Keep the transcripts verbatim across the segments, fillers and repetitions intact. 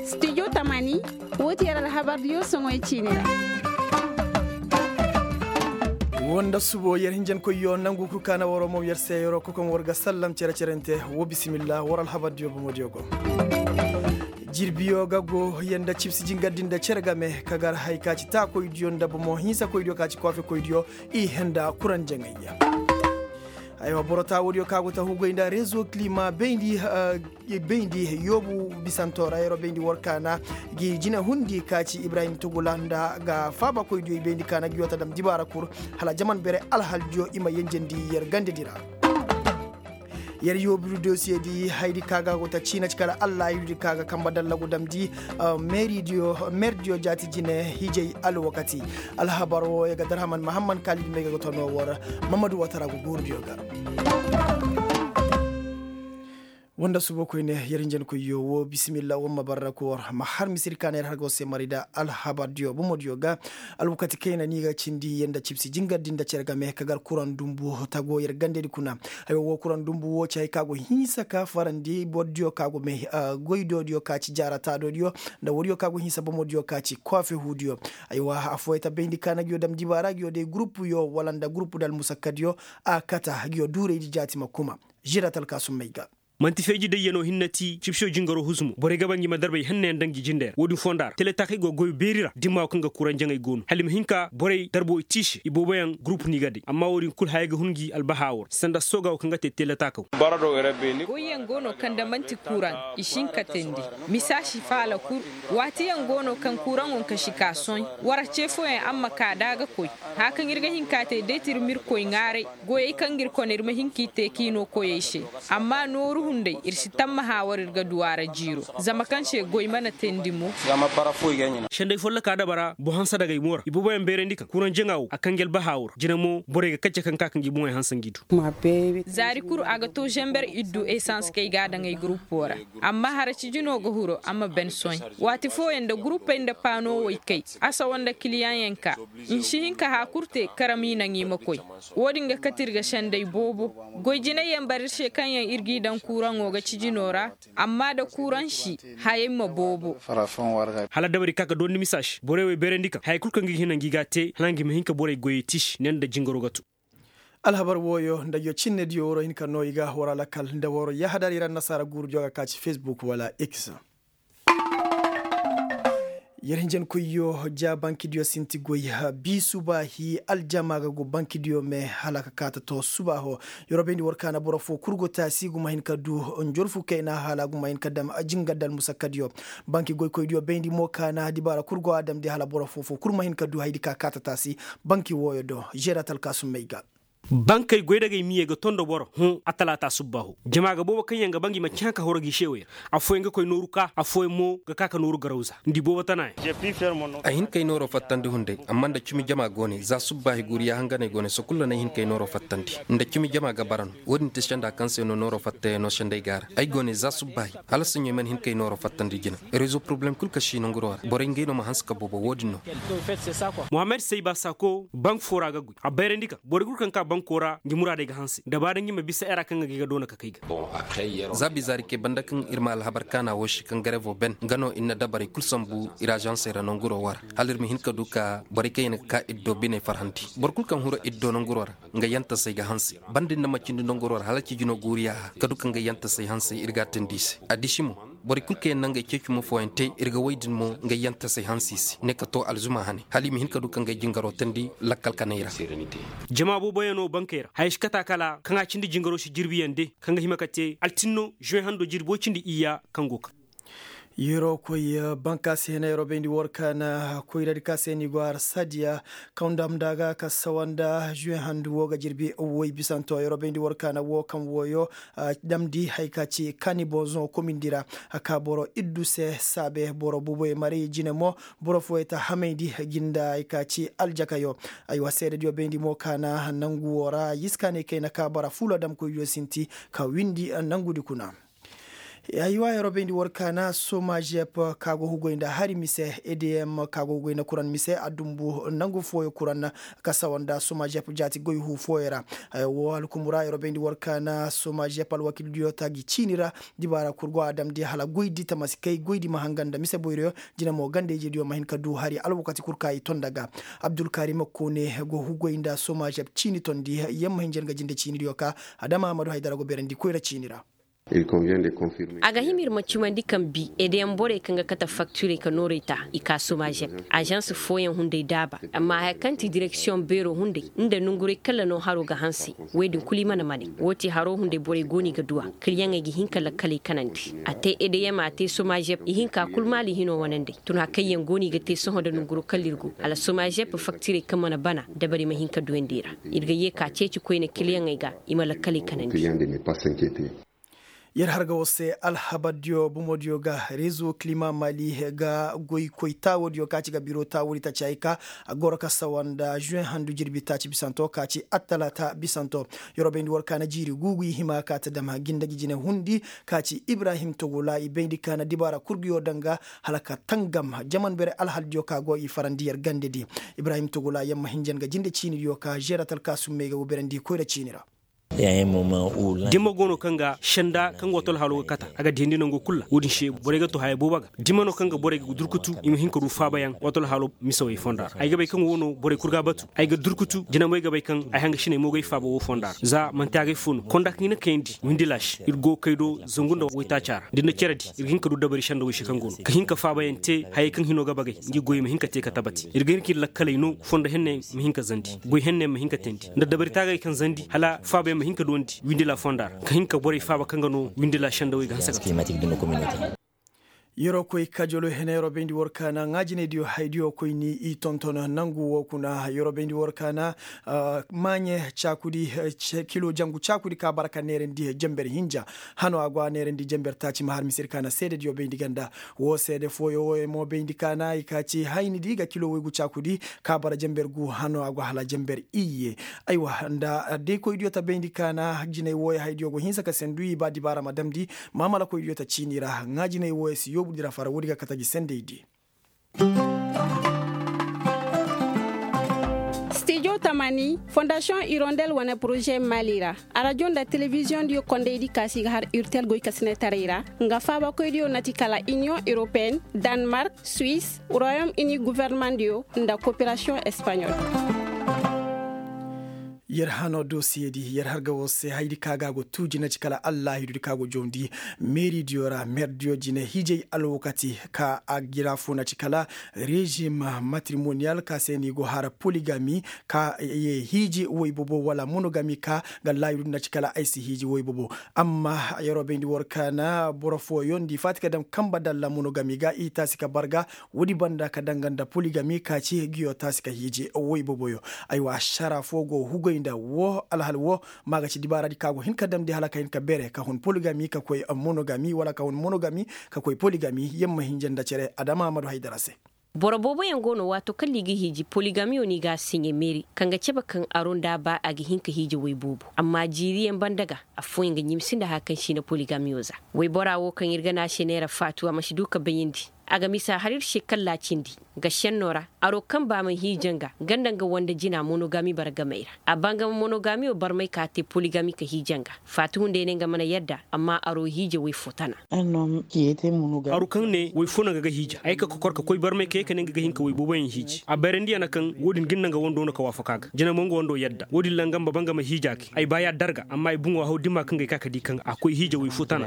Studio tamani, wo ti yer alhabardiyo soŋoy ciine ra. Wo nda subo yer hinjankoyyo nangu kul ka na waro mo yer se yeroo kokoŋ war ga sallam cere-cerente. Wo bisimilla war alhabardiyo bomodiyo go. Jirbiyo ga go yer nda cibsi jingardi nda cere game ka gar hay ka ci taakoydiyo nda bomo hinsakoydiyo ka ci koofekoydiyo i henda kuranjaŋayya. Aywa boro taawodiyo ka go ta hugay nda rezo kilima bayndi bayndi yoobu bisanto ra yeroo bayndi war kaana gi jine hundi ka ci ibrahim tugula nda ga faabakoydiyo i bayndi kaana gi yoo ta dam dibaara kul hala jaman bere alhaldiyo i ma yenjendi yer gandedi ra. Yer yoobiru dosiyedi haydi ka ga go ta ciina ci kala allah haydi ka ga kamba dallagu damndi. Meerdiyo jaati jine hijay alwakati. Alhabar wo ya ga darhaman mahamman kaalidi may ga ga tonoo war. Mamadu watara go guurudiyo ga. Woo nda subo koyne yer hinjankoyyo woo bisimilla war ma barra ka war ma har misiri ka na yer har go se mari nda alhabardiyo bomodiyo ga. Alwakati kayna ni ga cindi yer nda cibsi jingardi nda cere game ka gar kuraŋ dumbu tago yer gandedi kuna. Haywa woo kuraŋ dumbu woo ci hay ka go hinsa ka farandi bordiyo ka go me goydoodiyo ka ci jaara taadodiyo nda wodiyo ka go hinsa bomodiyo ka ci koofehuudiyo. Aywa affooyey ta bayndi ka na ngiyo dam dibaara ngiyo day gurupuyo wala nda gurupu nda almusakkadiyo a kata ngiyo duuraydi jaati ma kuma. Žiratal ka summay ga. Man'ti feeji dayyanoo hinne ti cibsiyo jingaroo huzumo borey ga ba ngi ma darbey hennayaŋ daŋ ngi jindey ra woo-din fonda ra teletaakey go goy beeri ra dimma woo kaŋ ga kuraŋ jaŋay go no hala i ma hin ka borey darbo i tiisi i booboyaŋ gurupu ni ga day amma woo-din kul hayey ga hun ngi albahaa woo ra sanda sooga woo kaŋ ga te teletaakaw. Goyyaŋ go no kaŋ da man'ti kuraŋ i si hin ka teendi. Misaasi faala kul waatiyaŋ go no kaŋ kuraŋo nka si ka sohõ war ce fooyaŋ araŋ ma ka da a ga koy. Haya kaŋ ir ga hin ka te deetir ma ir koy ŋaaray. Goyey kaŋ ga ir kone ir ma hin k'i te k'i noo koyey se. Amma nooru hunday ir si tammaha war ir ga du a ra jiiro. Zama kaŋ se goy mana teendi mo. Senday folloka dabara boŋ hanse dagay mo ra i booboyaŋ beerandi kaŋ kuraŋ jaŋa wo a kanji albaha wo ra jina mo borey ga kacce kaŋ ka ka ngi boŋey hanse ngi du. Zaari kul a ga to zamber iddu esans kaŋ ay ga a daŋ ay gurupo ra. Amma hara cijino ga huru a ma ben sohõ. Waati fooyaŋ nda gurupey nda paano wo i kay. Asawa nda kiliyaŋyaŋ ka. I si hin ka haya kul te karam i naŋ i ma koy. Wo-din ga kate ir ga senday boobo. Goy jinayyaŋ bara ir se kaŋ yaŋ ir g'i daŋ kuuraŋo ga cijino ra. Amma da kuuraŋ si hayey ma boobo. Hala dabari ka ka dondi misaasi borey wey beerandi kaŋ hayey kul kaŋ ga hina ngi ga a te hala ngi ma hin ka borey goyey tiisi ne nda jingaro ga tu. Alhabar wooyo nda yo cinnediyo waroo hin ka noo i ga war alakal nda waroo yahadar ir annasaara guurudiyo ga ka ci fesbuk wala x. Yer hinjankoyyo ja bankidiyo sinti goy. Bii subaahi aljama ga go bankidiyo me hala ka kaata to subaaho. Yer wo bayndi war kaana boro foo kul go taasi ga ma hin ka du njorfu kayna hala ga ma hin ka dam jingar da almusakkadiyo. Banki goykoydiyo bayndi mo kaana dibaara kul go a damndi hala boro foo foo kul ma hin ka du haydi ka kaata taasi. Banki wooyo do žeeratal kaasummey ga. Bankey goydagey miyey ga tondo boro hõ a talaata subbaaho. Jama ga boobo kaŋ yaŋ ga ba ngi manci haŋ ka horo gi se wo yer. Affooyaŋ ga koy nooru ka affooyaŋ mo ga ka ka nooru garawza nda i boobo tana yaŋ. Ay hin kay nooro fattandi hunday amma nda cimi jama go ne za subbaahi guuriya hanganey go ne sokul ra no ay hin kay nooro fattandi. Nda cimi jama ga bara no wo-din te senda kaŋ se no nooro fattayaŋo senday ga ra ay go ne za subbaahi. Hala saɲɲo ay mana hin kay nooro fattandi jina. Rezo poroblem kul kaŋ si nanguro ra borey ngey no ma hanse ka boobo wo-din no. Muhammad sayba sako bank fo ra ga goy a bayrandi kaŋ borey kul kaŋ ka banko ra ngi muraadey ga hanse dabaa da ngi ma bisa era kaŋ ga gi ga doona ka kay ga. Za bizaari kay banda kaŋ ir ma alhabar kaana wo se kaŋ garevo ben nga no ir na dabarey kul sambu ir azansey ra nanguro wo ra. Hala ir ma hin ka du ka borey kaŋ yaŋ ga ka ir do biney farhandi boro kul kaŋ huru ir do nanguro ra. Nga yantasey ga hanse banda ir na ma cindi nanguro ra hala cijino guuriya ka du ka nga yantasey hanse ir ga a teendi i se. Addiši mo borey kul kaŋ yaŋ na ngey ceecuma fooyaŋ te ir ga woy din mo ngey yantasey hanse i se ne ka to alzuma hane hala i ma hin ka du ka ngey jingaro teendi lakkal kaney ra. Jama booboyaŋo bankey ra haya si kata kala kaŋ a cindi jingaro si jirbiyaŋ de kaŋ ga hima ka te altinno žuweŋ hando jirbi woy cindi iyya kaŋ go kaŋ. Yeroo koy bankaasi hena yeroo bayndi war kaana koyradi ka se ni go har sadiya kaŋ dam nda ga ka sawa nda žuweŋ handu wo ga jirbi woy bisanto yeroo bayndi war kaana wo kaŋ woyo. Damndi haya ka ci kaani bonzoŋo komindi ra. Ka boro iddu se saabe boro buuboy maray jine mo. Boro fooyey ta hamayndi gi nda haya ka ci aljakayo. Aywa seedediyo bayndi mo kaana nangu wo ra yiskaaney kayna ka bara fuula damkoydiyo sinti ka windi nangudi kuna. Aywa yeroo bayndi war kaana somajep, ka go hugoy nda hari mise edm ka go hugoy nda kuran mise a dumbu nangu fooyo kuran, ka sawa nda somajep jaati goy huu fooyo ra. Haya woo alkumu ra yeroo bayndi war kaana somajep alwakildiyo ta gi ciini ra. Dibaara kul go a damndi hala goydi tamasi kay goydi ma hanga nda mise boyroyo. Jina mo ganda-ijediyo ma hin ka du hari alwakati kul ka i tonda ga. Abdulkarim koone go hugoy nda somajep ciini tondi. Yer ma hin jar nga jinde ciinidiyo ka adama ahmadu haydara go beerandi koyra ciini ra. A ga hima ir ma cimandi kaŋ bi edeyaŋ borey kaŋ ga kate faktirey ka noorey ta i ka somajep. Ažans fooyaŋ hunday daaba. Amma haya kaŋ ti direksiyoŋ beeroo hunday nda nonguray kalla no haroo ga hanse. Wey din kul i mana manay woo ti haroo hunday borey go no i ga du a kiliyaŋey ga hin ka lakkaley kanandi. A te edeyam a te somajep i hin ka kul maali hinoo wananday tun hari kaŋ yaŋ go no i ga te sohõ nda nonguro kalla ir go hala somajep faktirey kaŋ mana bana dabari ma hin ka duyandi i ra. Ir ga yee ka ceeci koyne kiliyaŋey ga i ma lakkaley kanandi. Yer har ga war se alhabardiyo bomodiyo ga rezo kilima mali ga goy koy taawodiyo ka ci ga biro taawodi taaci hay ka a goro ka sawa nda žuwen handu jirbi taaci bisanto ka ci attalaata bisanto. Yer wo bayndi war kaana jiiri guugu i hima ka ta dam jinda gi jine hundi ka ci ibrahim togola i bayndi kaana dibaara kurguyo daŋ ga hala ka tangam jaman bere alhaldiyo ka go i farandi yer gandedi. Ibrahim togola yer ma hinjan ga jinde ciinidiyo ka žeera talkaasummey ga wo berandi koyra ciini ra. Dima go no kaŋ ga senda kaŋ ga wato alhalo ga kata a ga diyandi nango kulu ra wo-din se borey ga to haya boobo ga dima no kaŋ ga borey ga durkutu i ma hin ka du faabayaŋ wato alhalo misawey fonda ra ay ga bay kaŋ wo no borey kulu ga a batu ay ga durkutu jinamey ga bay kaŋ ay hangasiney mo ga ay faaba wo fonda ra za manti agay fo no konda kaŋ i na kayandi windi laasi ir go kay do zangu nda waytaaca ra da ir na cere di ir ga hin ka du dabari senda wo se kaŋ go no ka hin ka faabayaŋ te hayey kaŋ hino ga bagay ngi goyey ma hin ka te ka tabati ir ga hin ka ir lakkaley no fondo henne ma hin ka zandi goy henne ma hin ka teendi nda dabari taagay kaŋ zandi hala faabayaŋ ma hin ka duwandi windila fonda ra ka hin ka borey faaba kaŋ ga no windila sendawey ga hanse ga te. Yeroo koy kajolo hene yeroo bayndi war kaana ŋaajinaydiyo haydiyo koyni i tonton nangu wo kuna yeroo bayndi war kaana maaɲe caakudi kilo jangu caakudi ka bara ka neerandi jenber hinja. Hano a go a neerandi jenber taaci ma har misir kaana seedediyo bayndi ganda wo seede fooyo wo mo bayndi kaana i ka ci hayni di ga kilo woygu caakudi ka bara jenber gu hano a go hala jenber iyye. Aywa nda deekoydiyo ta bayndi kaana jinay wooyo haydiyo go hinsa ka sendu i ba dibaara ma damndi maamalakoydiyo ta ciini ra ŋaajinay wooyo si yoobu di ra fara woodi ga kate gi sendey di. Stijo tamani fondasiyoŋ irondel wane poroze mali ra arajo nda telebiziyoŋ diyo kondey di kaasi ga har urtel goy ka sine taray ra nga faabakoy diyo na ti kala iniyoŋ europeen, danmark, suwis, royom ini guvernemandiyo nda koperasiyoŋ espaɲol. Yer hano dosiye di yer har ga war se haydi ka ga a go tuuji na ci kala allahidudi ka go jawndi meeridiyo ra meerdiyo jine hiijay alwakati ka a jira fo na ci kala rezim matrimoniyal ka se no i go har poligami ka ye hiiji woy boobo wala monogami ka ga laayidudi na ci kala ay si hiiji woy boobo. Amma yeroo bayndi war kaana boro fooyoŋ nda i faati ka daŋ kanba dalla monogami ga i taasi ka barga woodi banda ka danga nda poligami ka ci giyo taasi ka hiiji woy booboyo. Aywa ašara fo go hugoy nda wo alhal wo ma ga ci dibaaradi ka go hin ka damndi hala ka hin ka bere ka hun poligami ka koy monogami wala ka hun monogami ka koy poligami yer ma hinja nda cere adama hamadu haydara se. Boro booboyaŋ go no waato kaŋ no i ga hiiji poligamiyo no i ga a siɲe meeri kaŋ ga cabe kaŋ aro nda a ba a ga hin ka hiije woy boobo amma jiiriyaŋ banda ga, affooyaŋ ga ɲimsi nda haya kaŋ si na poligamiyo za. Woybora wo kaŋ ir ga ne a se neera faatu a ma si du ka bayandi. A ga misa har ir se kalla cindi ga šenno ra aro kaŋ ba ma hiija nga nga nda nga wande jina monogami bargamey ra a ba nga ma monogamiyo barmey ka te poligami ka hiija nga. Faati hunday ne nga mana yadda amma aro hiija woy fo tana. Aru kaŋ ne woy fo no nga ga hiija ay ka kokor ka koy barmay ka ye ka ne nga ga hin ka woy booboyaŋ hiiji a bayrandi ya na kaŋ wo-din ga ni na nga wando no ka waafaka ga jina mo nga wando yadda wo-din ra nga ma ba nga ma hiija kay ay ba ya darga amma ay buŋo haw dima kaŋ ga ay ka ka di kaŋ a koy hiija woy fo tana.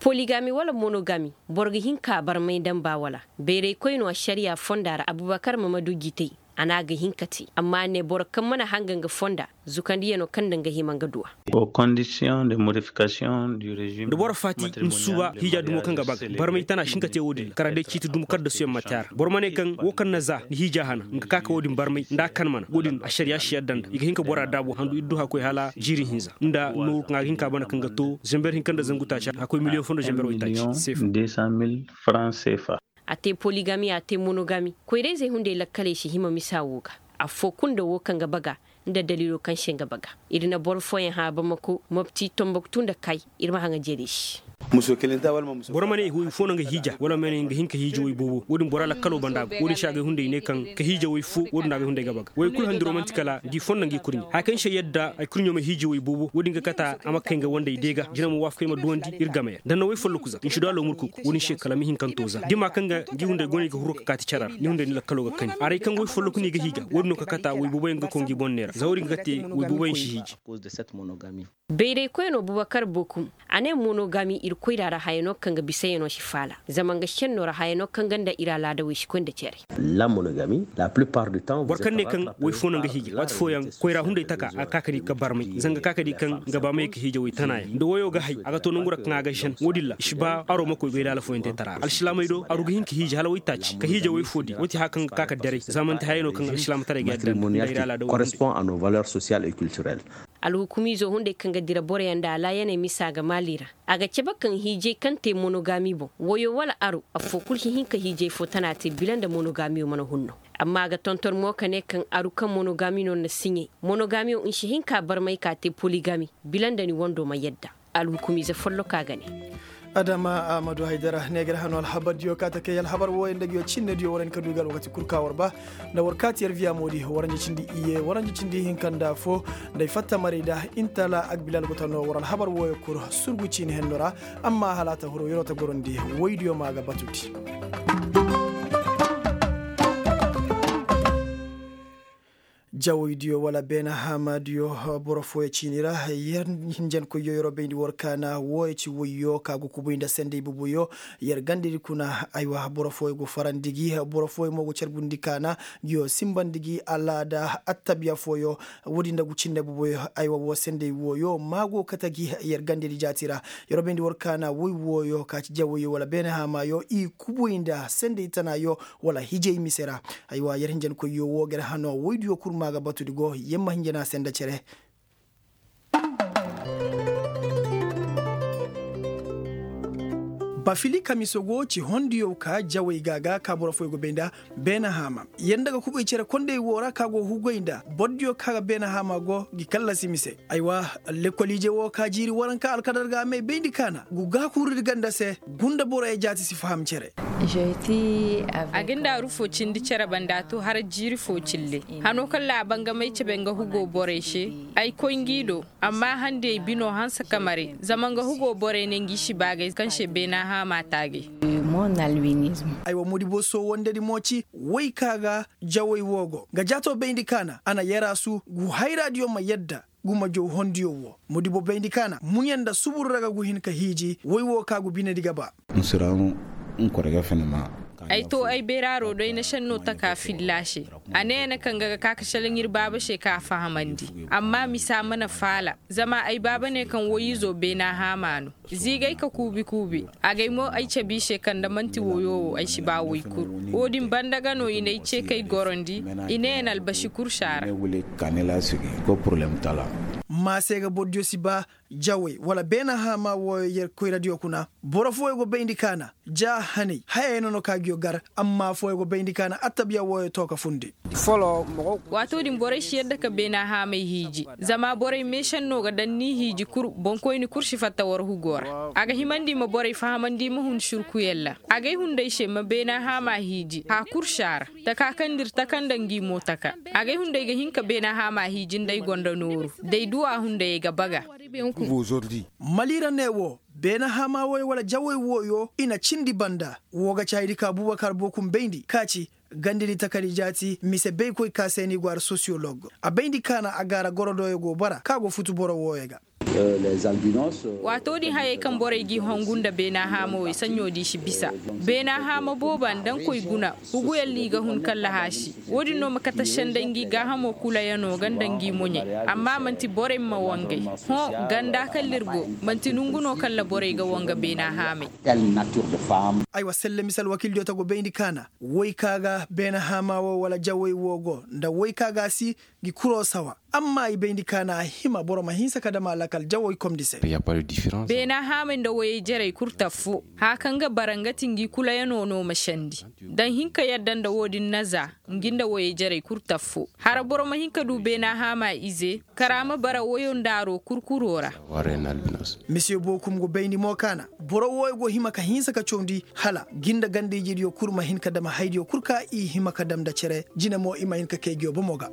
Poligami wala monogami boro ga hin ka barmay nda mba wala? Bayraykoy no ašariya fonda ra abubakar mamadu gitay. A ne a ga hin ka te amma a ne boro kaŋ mana hanga nga fonda zukandiyano kaŋ nda nga hima nga duwa. Da boro faati ni suuba hiija dumo kaŋ ga baga barmay tana si hin ka te wo-din ra kala day ciiti dumo kaddasuyaŋ ma te a ra boro ma ne kaŋ wo kaŋ na za ni hiija hana nga ka ka wo-din barmay nda a kan mana wo-din ašariya si yadda nda i ga hin ka bora daabu handu ir du hakkoy hala jiiri hinza nda nooru kaŋ a ga hin ka bana kaŋ ga to zember hinka nda zangu taaci hakkoy miliyoŋ fo nda zember waytaaci seefa. A te poligami a te monogami koyra-izey hunday lakkaley si hima misa wo ga. Affoo kulu nda wo kaŋ ga baga nda daliilo kaŋ se nga baga. Ir na boro fooyaŋ hã bamako mopti tomboktu nda kay. Ir ma haŋa jeeri se. Boro ma ne woy fo no nga hiija wala ma ne nga hin ka hiiji woy boobo wo-din bora lakkaloo banda go wo-din se a gay hunday ne kaŋ ka hiija woy fo wo-din no a gay hunday ga baga woy kul handiro man'ti kala ngi fondo ngi kurɲe haya kaŋ se yadda ay kurɲo ma hiiji woy boobo wo-din ga kata a ma kay nga wanday deega jina ma waafakay ma duwandi ir game yaŋ da na woy folloku za nsi do a loomur kuku wo-din se kala ma hin kaŋ to za dima kaŋ ga ngi hunday go no i ga huru ka kaati cere ra ni hunday ni lakkaloo ga kani aray kaŋ woy folloku no i ga hiija wo-din no ka kata woy boobo yaŋ ga koy ngi boŋ neera za wo-din ga kate woy boobo yaŋ si hiiji. Bayraykoynoo bubakar bokum a ne monogami ir koyra ra hayanoo kaŋ ga bisayanoo si faala zama nga šennoo ra hayanoo kaŋ ga nda ir alaadawey si koy nda cere. Boro kaŋ ne kaŋ woy fo no nga hiiji waati fooyaŋ koyra hunday taka a ga ka ka di ka barmay zanga ka ka di kaŋ nga ba may ka hiija woy tanaayaŋ nda woyoo ga hay a ga to nangu ra kaŋ a ga šen wo-din ra i si ba aroo ma koy goy laala fooyaŋ te tara ra alsilaamey do aru ga hin ka hiiji hala woy taaci ka hiija woy foo di woy ti haya kaŋ ga ka ka daray za man'ti hayanoo kaŋ alsilaamataray ga yadda nda ir alaadawey. Alhukumiizoo hunday kaŋ ga dira boroyaŋ nda alaayaney misa ga maali ra a ga cabe kaŋ hiijay kaŋ te monogami boŋ woyo wala aru affoo kul si hin ka hiijay foo tana te bila nda monogamiyo mana hun no. Amma a ga tonton mo ka ne kaŋ aru kaŋ monogami no na siɲay monogamiyo nsi hin ka barmay ka te poligami bila nda ni wando ma yadda. Alhukumiize folloka ga ne. Adama ahmadu haydara ne ga ir hano alhabardiyo ka ta kay alhabar wooyo nda nguyo cinnediyo war hin ka du i ga alwakati kul ka war ba nda war kaati yar viya moodi waranja cindi iyye waranja cindi hinka nda fo nda ay fatta maray nda intala agbilal go ta no war alhabar wooyo kul surgu ciini henno ra. Amma hala a ta huru yeroo ta gorandi woydiyo ma ga batundi. Jawaydiyo wala beena haamaadiyo boro fooyo ciini ra yer hinjankoyyo yeroo bayndi war kaana wooyo ci woyyo ka go kubuy nda sendey bubuyo. Yer gandadi kuna aywa boro fooyo go farandi gi boro fooyo mo go carbundi kaana. Nguyo simbandi gi alaada attabiya fooyo. Woodi nda gu cinne bubuyo aywa woo sendey wooyo ma go kate gi yer gandadi jaati ra. Yeroo bayndi war kaana woy wooyo ka ci jawayyo wala beena haamaayo i kubuy nda sendey tanaayo wala hijay mise ra. Aywa yer hinjankoyyo woo ga yer hanoo woydiyo kul ma ga batu di go yer ma hinjana se nda cere. Bafili kamiso go ci hondiyo ka jawey ga ga ka boro fooyo go bay nda beena haama yer nda ga kubay cere kondey woo ra ka go hugay nda bordiyo ka ga beena haama go gi kallasi mise. Aywa, lekkol ije woo ka jiiri waranka alkadar ga a may bayndi kaana gu gaakurudi ganda se. Gunda boroyo jaati si faham cere. A ga nda aru foo cindi cere banda to har jiiri foo cille. Hanoo kaŋ laabangamey cabe nga hugoo borey se. Ay koy ngi do. Amma handiyey binoo hanse kamare zama nga hugoo borey ne ngi si baagay kaŋ se beena haama taagay. Ay wa mudi boo soowandedi mo ci woy ka ga jawey woo go nga jaatoo bayndi kaana a na yaraasu gu hayraadiyo ma yadda. Gu ma jow hondiyo woo mudi boo bayndi kaana muɲe nda subur ra ga gu hin ka hiiji woy woo ka gu binedi ga ba. Ay too ay bayraaroo do ay na šennoo taka filla se. A ne ya na kaŋ ga ga ka ka šelaŋ ir baaba se ka a fahamandi. Amma misa mana faala. Zama ay baaba ne kaŋ woy-izoo beena haama no. Ziigay ka kuubi kuubi. Agay mo ay cabe i se kaŋ da man'ti woyoo wo ay si ba woy kul. Woo din banda ga no i n'ay cee kay gorandi. I ne ya na albasi kursa ra. Maa se ga bordiyo si ba jawey wala beena haama wooyo yer koyradiyo kuna. Boro fooyo go bayndi kaana ja hanay hayey no no ka nguyo gar. Amma fooyo go bayndi kaana attabiya wooyo to ka fundi. Waatoo din borey si yadda ka beena haamey hiiji. Zama borey meešennoo ga daŋ n'i hiiji kul boŋkoyni kul si fatta war hugoo ra. A ga himandi ma borey fahamandi ma hun surkuyaŋ ra. Agay hunday se ma beena haama hiiji haa kul si a ra. Taka kaŋ nda ir taka nda ngi mo taka. Agay hunday ga hin ka beena haama hiiji nda ay gonda nooru da ay duw'a hunday ay ga baga. Maliira ne wo beena haama wooyo wala jawey wooyo i na cindi banda. Woo ga caaydi ka bubakar bookum bayndi ka ci gandidi takari jaati mise baykoy ka se ni gwaara sosiyolog. A bayndi kaana a gaara gorodooyo go bara ka go futu boro wooyo ga. Waatoo din hayey kaŋ borey g'i hongu nda beena haama wey saɲɲo di si bisa. Beena haama booba nda nkoy guna. Huguyaŋ no i ga hun kalla haasi. Woo din no ma kate senday ngi gaahamo kulayaŋo ga nda ngi moɲey. Amma man'ti borey ma wangay. Hõ ganda kalla ir go. Man'ti nongu no kalla borey ga wanga beena haamey. Aywa selle mise alwakildiyo ta go bayndi kaana woy ka ga beena haama wo wala jawey wo go nda woy ka ga a si. Ngi kuroo sawa. Amma i bayndi ka na a hima boro ma hinsa ka dam a lakal jawey komdi se. Beena haamay nda woyey jarey kul taffo. Haya kaŋ ga bara nga ti ngi kulayanoo no ma sendi. Da n'i hin ka yadda nda woo din na za ngi nda woyey jarey kul taffo hara boro ma hin ka du beena haama ize, kara ma bara woyo nda aroo kurkuroo ra. Misiye bookum go bayndi mo ka na boro wooyo go hima ka hinsa ka cawndi hala ngi nda ganda-ijediyo kul ma hin ka dam haydiyo kul ka i hima ka dam nda cere jine mo i ma hin ka kay ngiyo bomo ga.